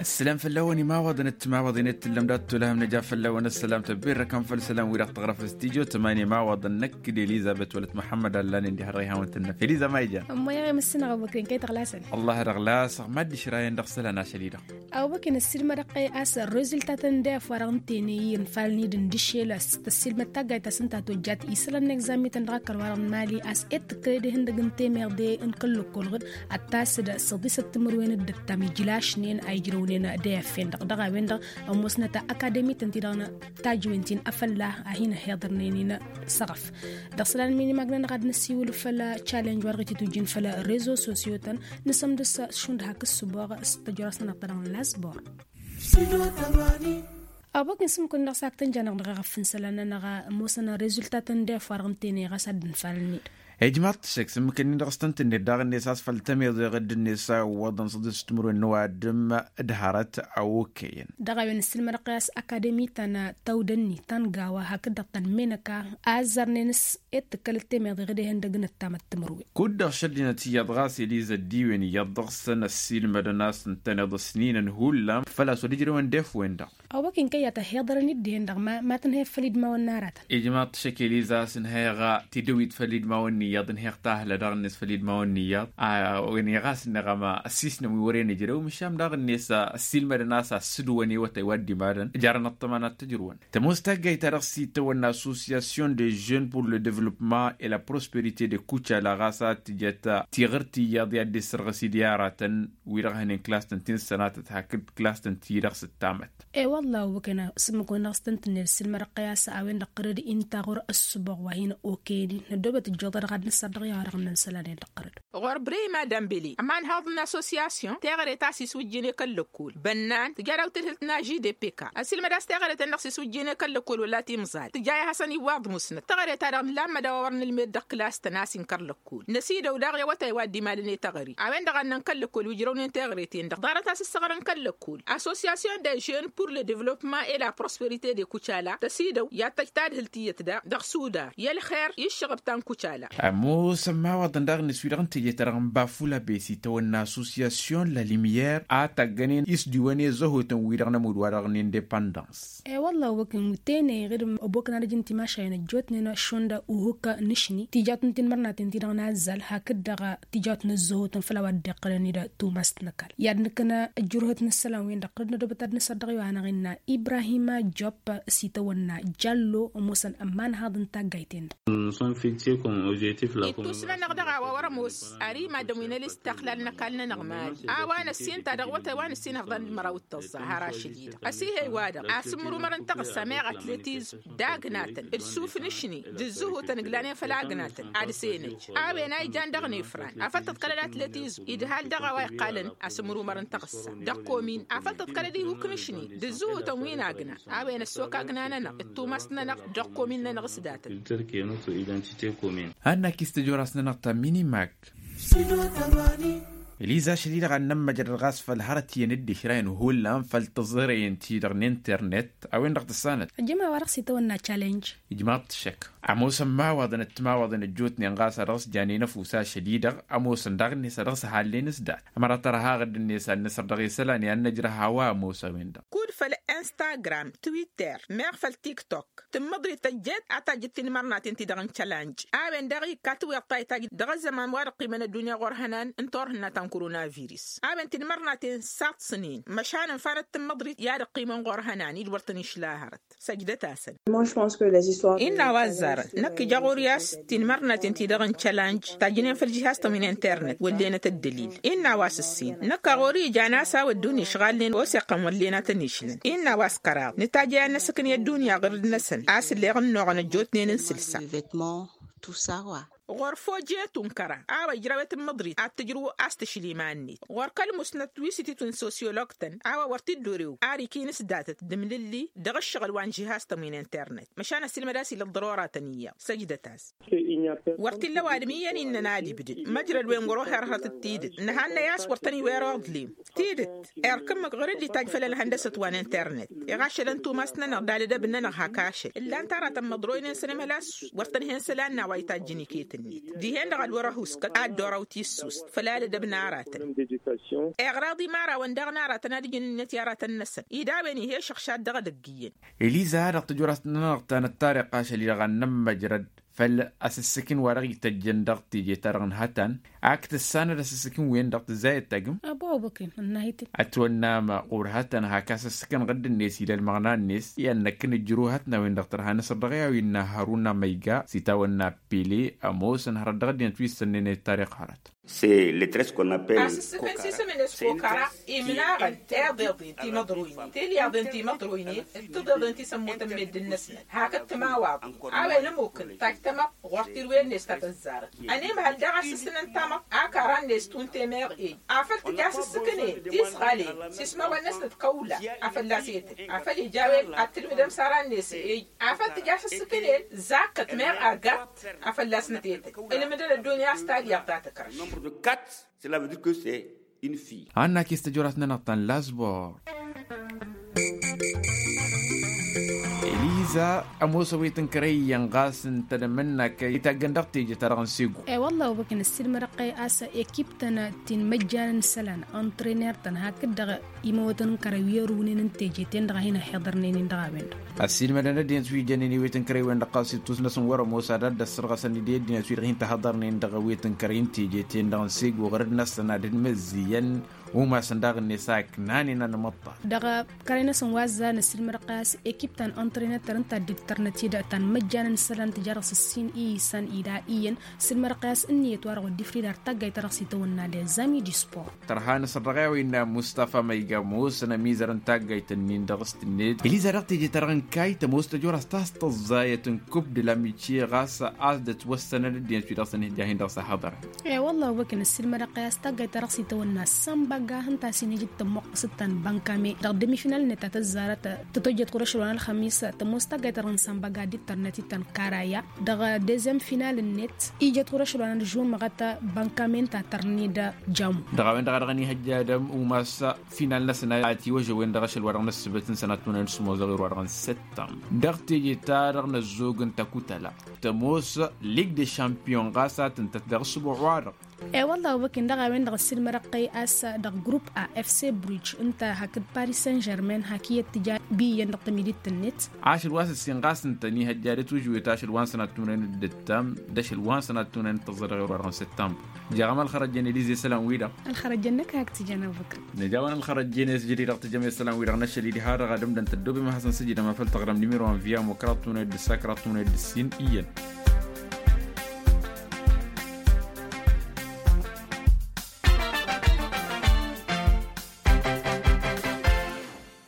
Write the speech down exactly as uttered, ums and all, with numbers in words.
Ǝssǝlam făll-awăn imawaḍăn d-timawaḍin i-tǝllăm dat-tulhăm nǝja făll-awăn ǝssălam tăbbirrăkăm făll-isălan wi-dăɣ tăɣrăf s-tijo tămani imawaḍăn năkk d-elizabet wăla t-muḥămmăd allan indi hărrăy hawăn-tǝnnăf eliza ma ijan. Ămmoyăɣ i-mǝssǝnăɣ ăbokren kăy-tăɣlasăn. Ăllah ad-ăɣlasăɣ ma dd-išrayăn dăɣ-isălan ašăl-i-dăɣ. Ăbokren ăssiilmădăɣ-t a-s ărrezultatăn d-efăɣ dăɣ-n tene i-infalăn-i d-ǝndǝššel a-s tăssiilmăd taggayt ta s-ǝnta tojjat isălan n-egzamităn dăɣ-akăl wa-dăɣ n-imali a-s ed tǝkkăled ihăndăg n-temeḍe n-kăl-lăkkol ɣǝd ad-tasǝd săḍisăt timǝrwen d-ǝttam ijlašnen a ijrăwnen d-eyaffen-dăɣ dăɣ-a-wen-dăɣ ămoosnăt akademi-tăn-ti-dăɣ n-tajwen ti n-afălla a hin-ăhhiḍărnen-in s-aɣăf. Dăɣ-isălan n-minimag-nănăɣ ad-năsiwǝl făll-a challenge wa dăɣ-ititujjin făll-rezo sosyo-tăn nǝsămdăs šund hak ǝssǝboɣ s-tăjrăs-nănăɣ ta dăɣ-nănăsbor. Ăbok n-sǝmmǝk-win-dăɣ s-ak tăn-janăɣ dăɣ-eɣăf n-isălan-nănăɣ ămoosăn rezultatăn d-efăɣ n-tene ɣas ad-dd-nǝfalăn-dd. Ijmaḍ-t ăššăk s-ǝmmǝk-nin-dăɣ s-tăn-tǝnnet daɣ-net a-s făll-tămeḍe ɣǝdd-net a ǝwwăḍăn săḍisăt timǝrwen n-ăwadǝm d-hărăt a okăyăn. Dăɣ-a-wen ǝssǝlmădăɣ-t a-s akademi ta n-tawdănni ta n-gawa hakd-dăɣ ta n-menăka a ăzzarnen s-ed tǝkkălăt temeḍe ɣǝd ihăndăg n-ăttamăt timǝrwen. Kud-dăɣ šăddinăt iyyăḍ ɣas eliza dd-iwen iyyăḍ dăɣ-săn ăssiilmădăn a-s ǝntăneḍ ăsninăn hullan făl-a-s wăr ǝjrewăn d-efwen-dăɣ. Ăwwăk-in kăy-a tăhhiḍărăn-dd dihen-dăɣ ma tǝnhăyăt făll-i d-imawăn n-aratăn. Ijmaḍ-t šăkk eliza a-s ǝnhăyăɣ tidǝwit făll-i d-imawăn n-iyyăḍ ǝnhăyăɣ tahlă daɣ-net făll-i d-imawăn n-iyyăḍ. A-wen iɣas ǝnneɣ ama ăssiisnăm wi wăren ǝjrew măšan daɣ-net ăssiilmădăn a-s assǝdǝwăn i-awătay wa dd-imalăn jarăn ăṭṭăma n-ad-t-ǝjrǝwăn. Tămoos taggayt-ta-dăɣ s-itawănna association de jeunes pour le développement et la prospérité de kucala ɣas ad-tǝjăt tiɣǝrt iyyăḍ i-ad-dd-issărɣǝs-dd i-aratăn wi-dăɣ hănen klas-tăn ti n-sănatăt hakd klas-tăn ti-dăɣ s-ǝttamăt. E-wălla a-wa kăyăn sǝmmǝk-win-dăɣ s-tăn-tǝnned ǝssǝlmădăɣ-t i-a-s a-wen-dăɣ tărăd inta ɣur-ăssǝboɣ wa hin-okăyăn-in năddoobăt ǝjjoḍăd dăɣ-ad-nǝsăr dăɣ-i a-wa dăɣ-nǝnsălăn-in-dăɣ tărăd. Ɣur-brima dămbele ămanhăḍ n-associasyon teɣăre ta s-iswǝjjǝyăn i-kăl-lăkkol bănnan tǝja daw-tǝdhǝlt n-ažidepeka ăsilmăd a-s teɣăre-ten-dăɣ s-iswǝjjǝyăn i-kăl-lăkkol wăla timẓal tǝja i-ad-hasăn-iwwaḍ musnăt teɣăre-ta-dăɣ nǝlammăd a-wa wăr nǝlmed dăɣ-klas-tăn a-s inkăr lăkkol năsidăw daɣ i-awătay wa dd-imalăn i-teɣăre a-wen-dăɣ ad-năn kăl-lăkkol wi ǝjrăwnen teɣăre-ten-dăɣ ḍarăt a-s ǝssăɣrăn kăl-lăkkol associasyon de jeunes pour le développement et la prospérité de kucala tăsidăw i-ad-tăj tadhǝlt iyyăt daɣ dăɣ-sudar i-ălxer i-ǝššăɣăb ta n-kucala. Ămoosăn imawaḍăn daɣ-net wi-dăɣ n-teje-ta-dăɣ n-bafula besi tawănna associasyon la lumière a taggănen isdiwăn i-ăzzăhotăn wi-dăɣ n-ămudd wa dăɣ-n indepăndăns. E-wălla a-wa kăyăn tene ɣǝd ăbokăn ad-ăj n-timašayen ăjjootnen šund uhǝk n-ašni tijatun tinmărnaten-ti-dăɣ n-azzal hakd-dăɣ tijatun ăzzăhotăn făll-a-wa dd-iqqălăn-dd tumast n-ăkall i-ad-nǝkna ăjjurhăt n-isălan-win-dăɣ ɣǝd n-ădobăt ad-nǝsăr dăɣ-i wa hanăɣ-innă ibrahima jopp s-itawănna jallo ămoosăn ămmanhaḍ n-taggayt-en-dăɣ. Ittus-nănăɣ dăɣ-a-wa wăr-ămoos ar imaddǝm wi n-ălistăxlal n-ăkall-nănăɣ mali a-wa n-ăssin ta dăɣ-wătay wa n-ăssin ăɣḍan d-măraw d-tăẓẓa har ašăl-i-dăɣ ăsihăy-wa-dăɣ a-s ǝmmǝrumăr n-taɣǝssa meɣ atletizm d-agnatăn d-sǝhut n-ǝglanen făll-agnatăn ad-senăj a-wen a ijan dăɣ-nefran afăl tǝḍkălăd atletizm idhal dăɣ-a-wa iqqalăn asǝmrumăr n-taɣǝssa dăɣ-komin afăl tǝḍkălăd ihuk n-ašni d-ǝzzǝhutăn wi n-agna a-wen ăssok agna-nănăɣ d-tumas-nănăɣ dăɣ-komin-nănăɣ s-datăn. Ad-nak-istăj oras-nănăɣ ta minimak. Eliza ašăl-i-dăɣ ad-nămmăjrăd ɣas făll-hărăt iyyăn dd-išrayăn hullan făll-tăẓrăyăn-ti-dăɣ n-internet a-wen-dăɣ tǝssanăt. Ăjjăm a-wa-dăɣ s-itawănna challenge. Ijmaḍ-t šăkk ămoosăn imawaḍăn d-timawaḍen ăjjootnen ɣas a dăɣ-s janen ăfuss ašăl-i-dăɣ ămoosăn daɣ-net a dăɣ-s ăhallen s-dat ămăra tărha ɣǝdd-net ad-nǝsăr dăɣ-isălan i-ad-nǝjrăh a-wa ămoos a-wen-dăɣ. Kud făll-instagram twitter meɣ făll-tiktok tǝmmăḍrit tăjjet a tajjǝt tinmărnaten-ti-dăɣ n-challenge a-wen daɣ ikka tǝwweḍ ta itajj dăɣ-ăzzăman wa dăɣ-qimen ăddunya ɣur-hănan n-turhǝnna ta n-korona virus a-wen tinmărnaten saḍsnen măšan ǝnfanăt tǝmmăḍrit i-ad-ăqqimăn ɣur-hănan-i d-wăr tăn-išla hărăt. Săjdăt-asăn. Innă a-wa ăzzarăn năkk ija ɣur-i a-s tinmărnaten-ti-dăɣ n-challenge tajjǝnen făll-jihaz-tăn wi n-internet wăllenăt ăddălil. Innă a-wa s-ǝssin năkk a ɣur-i ijan a-s a-wa ăddunya išɣalnen oseqqăn wăllen a tăn-išlăn. Innă a-wa s-kăraḍ nǝtajj a i-ad-năsǝknǝy ăddunya ɣǝrǝd-năsăn a-s ǝlleɣ ănnuɣăn ăjjootnen n-sǝlsa. Ɣur-fojetu n-kăra a-wa ijrăwet n-măḍrit ad-tǝjrǝw a-s tǝšli iman-net ɣur-kăl-musnăt wi s-ititun sosyolog-tăn a-wa wăr t-dd-orew ar ikin s-datăt d-imlǝlli dăɣ-ǝššăɣǝl wa n-žihaz-tăn wi n-internet măšan ăsilmăd a-s ila ăḍḍărora-tăn iyyăḍ. Săjdăt-as. Wăr t-illa ăwadǝm iyyăn innăn ad-ibdǝd măjrăd-wen wăr-oher hărăt d-tidǝt nǝhannăy a-s wăr tăn-iwero aḍlim. Tidǝt erk ǝmmǝk ɣur-dd-itajj făll-ălhăndăsăt wa n-internet iɣašălăn tumast-nănăɣ d-ad-ădăb-nănăɣ hak ašăl ǝllan taratăn măḍroynen sănămhăl a-s wăr tăn-hen isălan n-a-wa itajjăn iket-net. Dihen-dăɣ ad-wăr-ăhuskăt ad-dd-oraw tissust făll-alădăb n-aratăn. Iɣraḍ imărawăn daɣ n-aratăn ad-ǝjǝn ǝnniyăt i-aratăn-năsăn ed a-wen ih'-e šăɣšad dăɣ-edăgg iyyăn. Eliza dăɣ-tăjorăt-nănăɣ ta n-ăṭṭariq ašăl-i-dăɣ ad-nămmăjrăd făll-asǝssǝkǝn wa dăɣ-ităjjăn dăɣ-teje-ta-dăɣ n-hătan. Ak tǝssanăd asǝssǝkǝn-wen-dăɣ tǝzzayăt tagǝm. Ătwănnam ɣur-hătăn hak asǝssǝkǝn ɣǝdd-net ila ălmăɣna-net i-ad-năkkǝn ǝjrǝw hătna-wen-dăɣ tărha năsăr dăɣ-i a-wa innă haruna măyga s-itawănna pele ămoosăn hărăt dăɣ-ăddinăt wi issănnen i-ăṭṭariq hărăt. Asǝssǝkǝn s-isǝm-net kokăra imnaɣăn iḍeḍen timăḍroynen tilyaḍen timăḍroynen d-tiḍeḍen ti s-ămmutăn meddǝn-năsnăt hakd timawaḍen a-wen ămukǝn tajj tamăḍt ɣur-tirwen-net ta tăzzarăt. Ănimhăl daɣ asǝssǝnăn tamăḍt a kăra-net tunte meɣ ej afăl tǝja asǝssǝkǝn-en tisɣalen s-ismawăn-năsnăt kăwla a fălla-s etăl afăl ija a-wen ad-tǝlmǝdăm s-ara-net ej afăl tǝja asǝssǝkǝn-en zakkăt meɣ agart a fălla-snăt etăl. Ǝlmǝdăn ăddunya s-talyaḍt ta tǝkrăš. Cela veut dire que c'est une fille. Annak-i s-tăjorat-nănăɣ ta n-lasbor. Eliza ămoos a-wa itǝnkărăy iyyăn ɣas ǝnta d-emănnak itaggăn dăɣ-teje-ta-dăɣ n-sego. E-wălla obăkǝn ăssiilmădăɣ-tăy a-s ekip-tăn ti n-imăjjan n-isălan ăntrener-tăn hakd-dăɣ imăwătăn n-kărăy wi ărǝwnen n-teje-ten-dăɣ a hin-ăhhiḍărnen-in dăɣ-a-wen-dăɣ. Ăssiilmădăn ăddinăt wi jănnen i-wet n-kărăy-wen-dăɣ ɣas ittus-năsăn wăr-ămoos ad-dd-ăssărɣăsăn d-ăddinăt wi-dăɣ hin-tăhăḍărnen dăɣ-wet n-kărăy n-teje-ten-dăɣ n-sego ɣur-dd-năsăn ad-dd-măzziyăn. Umasăn daɣ-net a ǝknanen anmăṭṭal. Dăɣ-kărăy-năsăn wa ăzzan ăssiilmădăɣ-tăy a-s ekip ta n-ăntrenătăr ǝnta a dd-ǝbtărnăt-dd ta n-imăjjan n-isălan tǝja dăɣ-s ǝssin i-isăn ila iyyăn. Ăssiilmădăɣ-tăy a-s ǝnniyăt wa dăɣ-wăr dd-ifrǝy d-ar taggayt ta dăɣ-s itawănna d-ezami d-ispor. Tărha n-asăr dăɣ-e-wa innă mustafa ma iga ămoosăn ămizăr n-taggayt-nin dăɣ-s tǝnned eliza dăɣ-teje-ta-dăɣ n-kayt ămoos tăjorăs ta s-tăẓẓayăt n-kub d-lamicye ɣas a-s dd-ătwăssănăd ăddinăt wi dăɣ-săn ihja-hin dăɣ-s ăhhăḍărăn. E-wălla obăkǝn ăssiilmădăɣ-tăy a-s taggayt ta dăɣ-s itawănna sănbăgga hǝnta a-s inǝj d-tămmuqqǝsăt ta n-bănkame dăɣ-demi-final-net ta tăzzarăt tătojjăt ɣur-ašăl wa n-ălxămis tămoos taggayt ta dăɣ-nǝsănbăgga dd-tărnăt-i ta n-karaya. Dăɣ-dezem final-net ijăt ɣur-ašăl wa n-ălžumăɣăt bănkame ǝnta a tărned jamu. Dăɣ-a-wen-dăɣ a dăɣ-ănihăjja ad-ămumas final-năsăn a tiwăžăwen dăɣ-ašăl wa dăɣ-năssǝbăt n-sănattunăn d-sămoos dăɣ-ewăr wa dăɣ-nǝsăttam dăɣ-teje-ta-dăɣ n-ăzzoog n-takutăla. Tămoos lig de šampiyon ɣas a tǝntăt dăɣ-ǝssǝbuɣ-wa-dăɣ. E-wălla obăkǝn dăɣ-a-wen-dăɣ ăssiilmădăɣ-tăy a-s dăɣ-grupp a fc bruj ǝnta hakd paris saint-germain hak iyyăt tǝja. Bi iyyăn dăɣ-tamidit-net. Ašăl wa s-ǝssin ɣas ǝnta ănihăjja d-atužwet ašăl wa n-sănattunăn d-ǝttam d-ašăl wa n-sănattunăn d-tăẓẓa dăɣ-ewăr wa dăɣ-nǝsăttam. Jaɣ amal xărăjjăn elize isălan-wi-dăɣ. Ălxărăjjăn-năk hak tǝjăn abubăkăr. Nǝja a-wen ălxărăjjăn i-s jădid dăɣ-tǝjăm isălan-wi-dăɣ n-ašăl-i diha-dăɣ ad-ǝmdăn tăddoobem ad-hasăn-sǝjǝdăm afăl tăɣrăm nimiro n-viya mukra tătunăyăt d-ǝssa kra tătunăyăt d-ǝssin iyyăn.